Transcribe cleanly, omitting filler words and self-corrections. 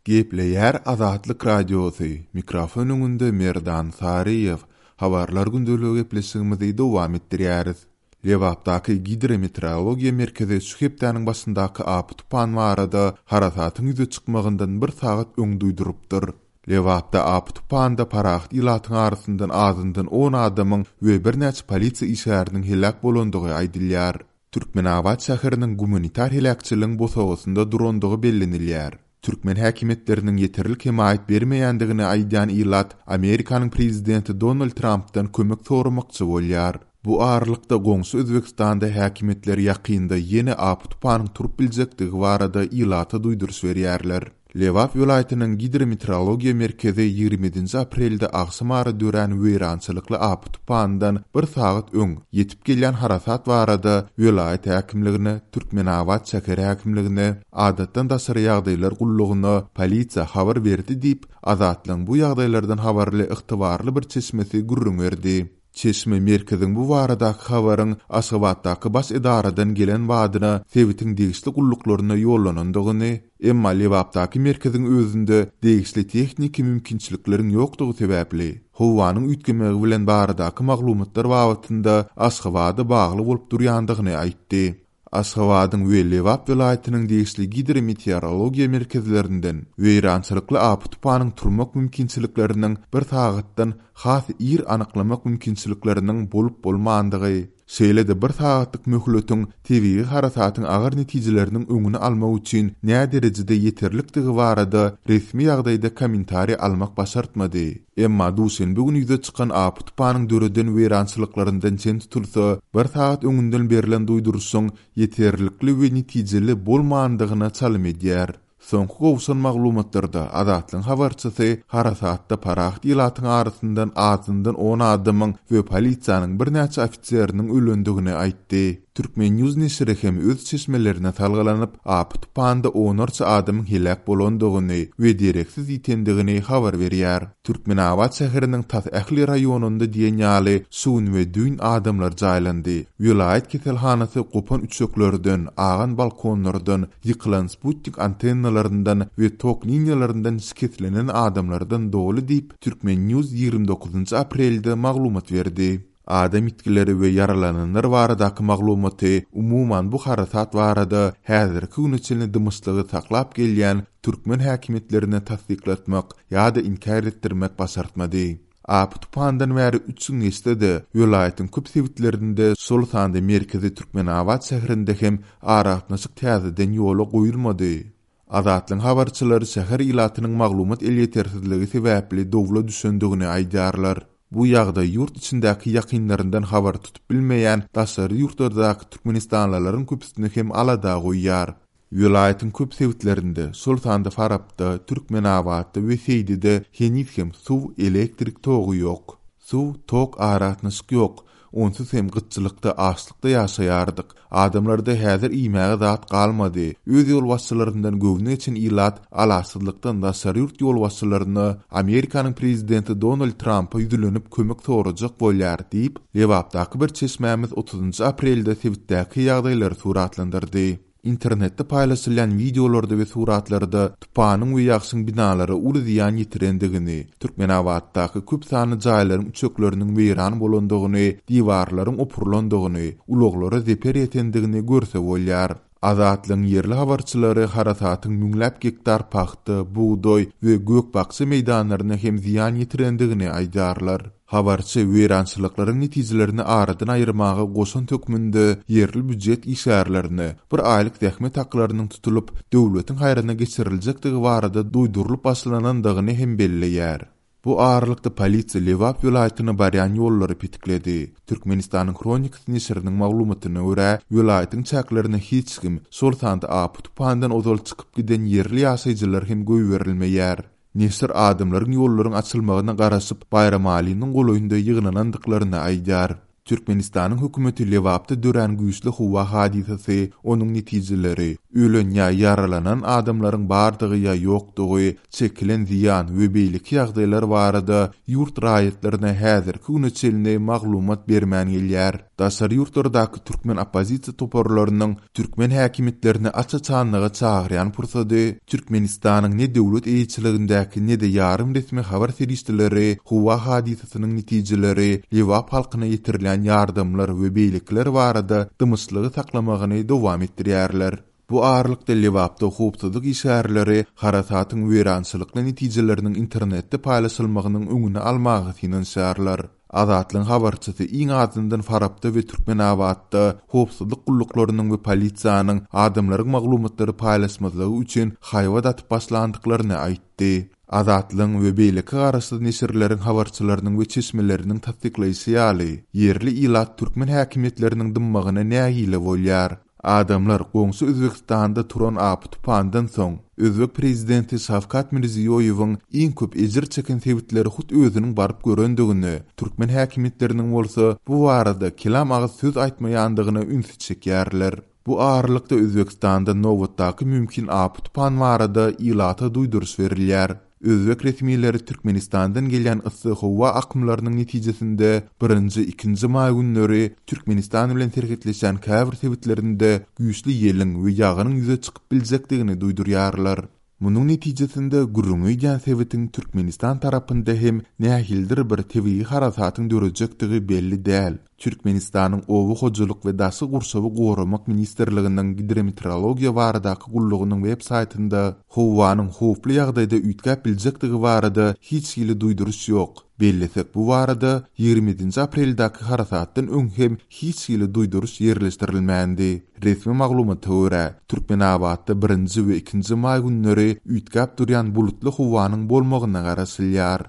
Gepleýär Azatlyk Radiosy, mikrofon öňünde Merdan Saryýew. Habarlar gündeligi gepleşigimizi dowam etdirýäris. Lebapdaky Gidrometeorologiýa merkezi şu hepdäniň başyndaky apy-tupan barada harasatyň ýüze çykmagyndan bir sagat öň duýdurypdyr. Lebapda apy-tupanda parahat ilatyň arasyndan azyndan on adamyň we birnäçe polisiýa işgäriniň heläk bolandygy aýdylýar. Türkmenabat şäheriniň gumanitar heläkçiligiň bosagasynda durandygy bellenilýär. Türkmen häkimiýetleriniň ýeterlik hemaýat bermeýändigini aýdýan ilat Amerikanyň prezidenti Donald Trampdan kömek soramakçy bolýar. Bu aralykda goňşy Özbegistanda häkimiýetler ýakynda ýene apy-tupanyň turup biljekdigi barada ilata duýduryş berýärler. Lebap welaýatynyň Gidrometeorologiýa merkezi 27-nji aprelde agşamara dörän weýrançylykly apy-tupandan bir sagat öň ýetip gelýän harasat barada welaýat häkimligine, Türkmenabat şäher häkimligine, Adatdan daşary ýagdaýlar gullugyna, polisiýa habar berdi diýip, Azatlygyň bu ýagdaýlardan habarly ygtybarly bir çeşmesi gürrüň berdi. Çeşme merkeziň bu baradaky habaryň Aşgabatdaky baş edaradan gelen badyna sebitiň degişli gulluklaryna ýollanandygyny, emma Lebapdaky merkeziň özünde degişli tehniki mümkinçilikleriň ýokdugy sebäpli, howanyň üýtgemegi bilen baradaky maglumatlar babatynda Aşgabada bagly bolup durýandygyny aýtdy. Aşgabadyň we Lebap welaýatynyň degişli gidrometeorologiýa merkezlerinden weýrançylykly apy-tupanyň turmak mümkinçilikleriniň bir sagatdan has ir anyklamak mümkinçilikleriniň bolup-bolmandygy, şeýle-de bir sagatlyk möhletiň tebigy harasatyň agyr netijeleriniň öňüni almak üçin näderejede ýeterlikdigi barada resmi ýagdaýda kommentariý almak başartmady. Emma duşenbe güni ýüze çykan apy-tupanyň döreden weýrançylyklaryndan çen tutulsa, bir sagat öňünden berlen duýduryşyň ýeterlikli we netijeli bolmandygyna çalym edýär. Soňky gowşan maglumatlarda Azatlygyň habarçysy harasatda parahat ilatyň arasyndan azyndan on adamyň we polisiýanyň birnäçe ofiseriniň ölendigini aýtdy. Turkmen. News neşiri hem öz çeşmelerine salgylanyp, apy-tupanda onlarça adamyň heläk bolandygyny we dereksiz ýitendigini habar berýär. Türkmenabat şäheriniň tas ähli raýonynda diýen ýaly şu gün we düýn adamlar jaýlandy. Welaýat keselhanasy gopan üçeklerden, agan balkonlardan, ýykylan sputnik antennalaryndan we tok liniýalaryndan şikeslenen adamlardan doly diýip, Turkmen. News 29 aprelde maglumat berdi. Adam ýitgileri we ýaralananlar baradaky maglumaty, umuman bu harasat barada häzirki güne çenli dymyşlygy saklap gelýän türkmen häkimiýetlerine tassyklatmak ýa-da inkär etdirmek başartmady. Apy-tupandan bäri üç gün geçse-de, welaýatyň köp sebitlerinde, şol sanda merkezi Türkmenabat şäherinde hem aragatnaşyk täzeden ýola goýulmady. Azatlygyň habarçylary şäher ilatynyň maglumat elýetersizligi sebäpli dowla düşendigini aýdýarlar. Bu ýagdaý ýurt içindäki ýakynlaryndan habar tutup bilmeýän daşary ýurtlardaky türkmenistanlylaryň köpüsini hem alada goýýar. Welaýatyň köp sebitlerinde, şol sanda Farapda, Türkmenabatda we Seýdide heniz hem suw, elektrik togy ýok. Suw, tok, aragatnaşyk ýok. Onsuz hem gytçylykda, açlykda ýaşaýardyk. Adamlarda häzir iýmäge zat galmady. Öz ýolbaşçylaryndan göwni geçen ilat alaçsyzlykdan daşary ýurt ýolbaşçylaryna, Amerikanyň prezidenti Donald Trampa ýüzlenip kömek sorajak bolýar diýip, Lebapdaky bir çeşmämiz otuzynjy aprelde sebitdäki ýagdaýlary suratlandyrdy. Internetde paýlaşylýan wideolarda we suratlarda tupanyň we ýagşyň binalara uly zyýan ýetirendigini, Türkmenabatdaky köp sanly jaýlaryň üçekleriniň weýran bolandygyny, diwarlaryň opurylandygyny, ulaglara zeper ýetendigini görse bolýar. Azatlygyň ýerli habarçylary harasatyň müňläp gektar pagta, bugdaý we gök-bakja meýdanlaryna hem zyýan ýetirendigini aýdýarlar. Habarçy weýrançylyklaryň netijelerini aradan aýyrmaga goşant hökmünde ýerli býujet işgärlerine bir aýlyk zähmet haklarynyň tutulyp, döwletiň haýryna geçiriljekdigi barada duýdurylyp başlanandygyny hem belleýär. Bu aralykda polisiýa Lebap welaýatyna barýan ýollary petikledi. Türkmenistanyň Hronikasy neşiriniň maglumatyna görä, welaýatyň çäklerine hiç kim, şol sanda apy-tupandan ozal çykyp giden ýerli ýaşaýjylar hem goýberilmeýär. Neşir adamlaryň ýollaryň açylmagyna garaşyp, Baýramalynyň golaýynda ýygnanandyklaryny aýdýar. Türkmenistanyň hökümeti Lebapda dörän güýçli howa hadysasy, onuň netijeleri, Ölen ýa ýaralanan adamlaryň bardygy ýa ýokdugy, çekilen zyýan we beýleki ýagdaýlar barada ýurt raýatlaryna häzirki güne çenli maglumat bermän gelýär. Daşary ýurtlardaky türkmen oppozisiýa toparlarynyň türkmen häkimiýetlerini aç-açanlyga çagyrýan pursady Türkmenistanyň ne döwlet eýeçiligindäki ne-de ýarym resmi habar serişdeleri howa hadysasynyň netijeleri, Lebap halkyna ýetirilýän ýardamlar we beýlekiler barada dymyşlygy saklamagyny dowam etdirýärler. Bu aralykda Lebapda howpsuzlyk işgärleri harasatyň weýrançylykly netijeleriniň internetde paýlaşylmagynyň öňüni almaga synanyşýarlar. Azatlygyň habarçysy iň azyndan Farapda we Türkmenabatda howpsuzlyk gulluklarynyň we polisiýanyň adamlaryň maglumatlary paýlaşmazlygy üçin haýbat atyp başlandyklaryny aýtdy. Azatlygyň we beýleki garaşsyz neşirleriň habarçylarynyň we çeşmeleriniň tassyklaýşy ýaly, ýerli ilat türkmen häkimiýetleriniň dymmagyna nägile bolýar. Adamlar goňşy Özbegistanda turan apy-tupandan soň, özbek prezidenti Şawkat Mirziýoýewiň iň köp ejir çeken sebitleri hut özüniň baryp görendigine, türkmen häkimiýetleriniň bolsa bu barada kelam agyz söz aýtmaýandygyna ünsi çekýärler. Bu aralykda Özbegistanda nobatdaky mümkin apy-tupan barada ilata duýduryş berilýär. Özbek resmileri Türkmenistandan gelýän yssy howa akymlarynyň netijesinde birinji, ikinji maý günleri Türkmenistan bilen serhetleşýän käbir sebitlerinde güýçli ýeliň we ýagynyň ýüze çykyp biljekdigini duýdurýarlar. Munuň netijesinde gürrüňi edýän sebitiň Türkmenistan tarapynda hem nähilidir bir tebigy harasatyň dörejekdigi belli däl. Türkmenistanyň Oba hojalyk we daşky gurşawy goramak ministrliginiň Gidrometeorologiýa baradaky gullugynyň web saýtynda howanyň howply ýagdaýda üýtgäp biljekdigi barada hiç hili duýduryş ýok. Bellesek, bu barada 27-nji apreldäki harasatdan öň hem hiç hili duýduryş ýerleşdirilmändi. Resmi maglumata görä, Türkmenabatda birinji we ikinji maý günleri üýtgäp durýan bulutly howanyň bolmagyna garaşylýar.